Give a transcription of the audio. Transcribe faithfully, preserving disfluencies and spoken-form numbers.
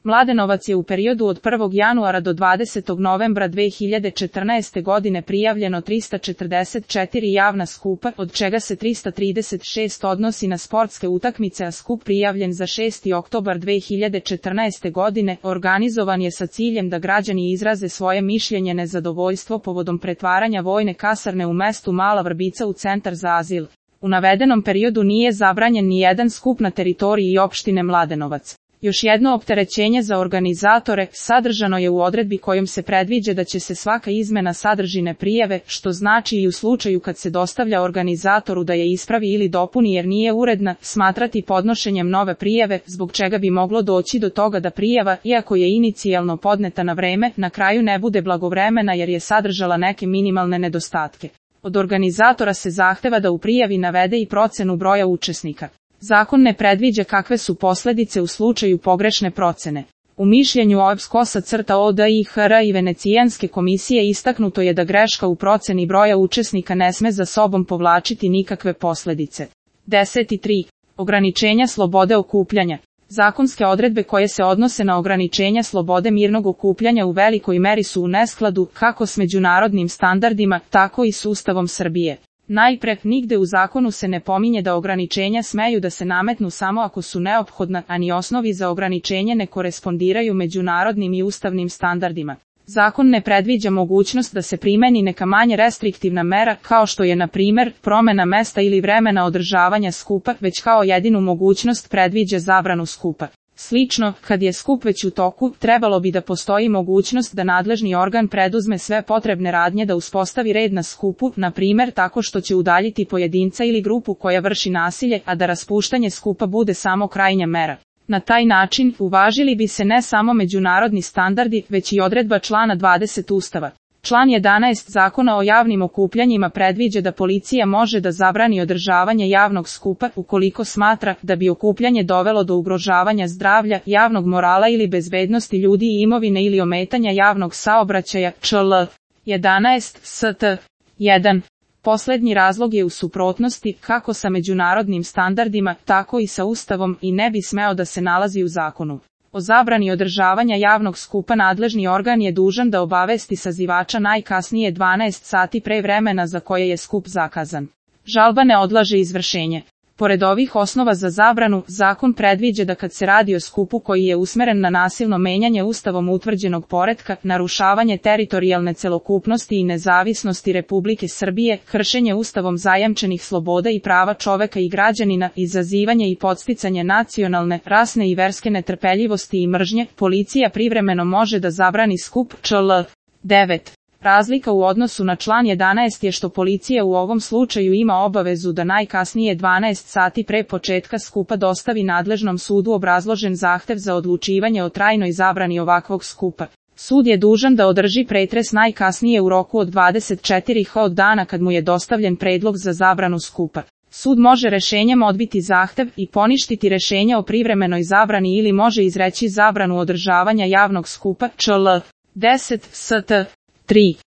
Mladenovac je u periodu od prvog januara do dvadesetog novembra dve hiljade četrnaeste godine prijavljeno trista četrdeset četiri javna skupa, od čega se trista trideset šest odnosi na sportske utakmice, a skup prijavljen za šesti oktobar dve hiljade četrnaeste godine organizovan je sa ciljem da građani izraze svoje mišljenje nezadovoljstvo povodom pretvaranja vojne kasarne u mestu Mala Vrbica u centar za azil. U navedenom periodu nije zabranjen ni jedan skup na teritoriji opštine Mladenovac. Još jedno opterećenje za organizatore sadržano je u odredbi kojom se predviđa da će se svaka izmena sadržine prijave, što znači i u slučaju kad se dostavlja organizatoru da je ispravi ili dopuni jer nije uredna, smatrati podnošenjem nove prijave, zbog čega bi moglo doći do toga da prijava, iako je inicijalno podneta na vreme, na kraju ne bude blagovremena jer je sadržala neke minimalne nedostatke. Od organizatora se zahteva da u prijavi navede i procenu broja učesnika. Zakon ne predviđa kakve su posledice u slučaju pogrešne procene. U mišljenju O E B S Kosa crta O D I H R i Venecijanske komisije istaknuto je da greška u proceni broja učesnika ne sme za sobom povlačiti nikakve posledice. deset tri. Ograničenja slobode okupljanja. Zakonske odredbe koje se odnose na ograničenja slobode mirnog okupljanja u velikoj meri su u neskladu kako s međunarodnim standardima, tako i s Ustavom Srbije. Najpre, nigde u zakonu se ne pominje da ograničenja smeju da se nametnu samo ako su neophodna, a ni osnovi za ograničenje ne korespondiraju međunarodnim i ustavnim standardima. Zakon ne predviđa mogućnost da se primeni neka manje restriktivna mera, kao što je, na primer, promena mesta ili vremena održavanja skupa, već kao jedinu mogućnost predviđa zabranu skupa. Slično, kad je skup već u toku, trebalo bi da postoji mogućnost da nadležni organ preduzme sve potrebne radnje da uspostavi red na skupu, na primer tako što će udaljiti pojedinca ili grupu koja vrši nasilje, a da raspuštanje skupa bude samo krajnja mera. Na taj način, uvažili bi se ne samo međunarodni standardi, već i odredba člana dvadeset Ustava. Član jedanaest Zakona o javnim okupljanjima predviđa da policija može da zabrani održavanje javnog skupa ukoliko smatra da bi okupljanje dovelo do ugrožavanja zdravlja, javnog morala ili bezbednosti ljudi i imovine ili ometanja javnog saobraćaja, čl. jedanaest St. jedan. Poslednji razlog je u suprotnosti kako sa međunarodnim standardima, tako i sa Ustavom i ne bi smeo da se nalazi u zakonu. O zabrani održavanja javnog skupa nadležni organ je dužan da obavesti sazivača najkasnije dvanaest sati pre vremena za koje je skup zakazan. Žalba ne odlaže izvršenje. Pored ovih osnova za zabranu, zakon predviđa da kad se radi o skupu koji je usmeren na nasilno menjanje Ustavom utvrđenog poretka, narušavanje teritorijalne celokupnosti i nezavisnosti Republike Srbije, kršenje Ustavom zajamčenih sloboda i prava čoveka i građanina, izazivanje i podsticanje nacionalne, rasne i verske netrpeljivosti i mržnje, policija privremeno može da zabrani skup, čl. devet. Razlika u odnosu na član jedanaest je što policija u ovom slučaju ima obavezu da najkasnije dvanaest sati pre početka skupa dostavi nadležnom sudu obrazložen zahtev za odlučivanje o trajnoj zabrani ovakvog skupa. Sud je dužan da održi pretres najkasnije u roku od dvadeset četiri sata od dana kad mu je dostavljen predlog za zabranu skupa. Sud može rešenjem odbiti zahtev i poništiti rešenje o privremenoj zabrani ili može izreći zabranu održavanja javnog skupa, čl. deset St. tri.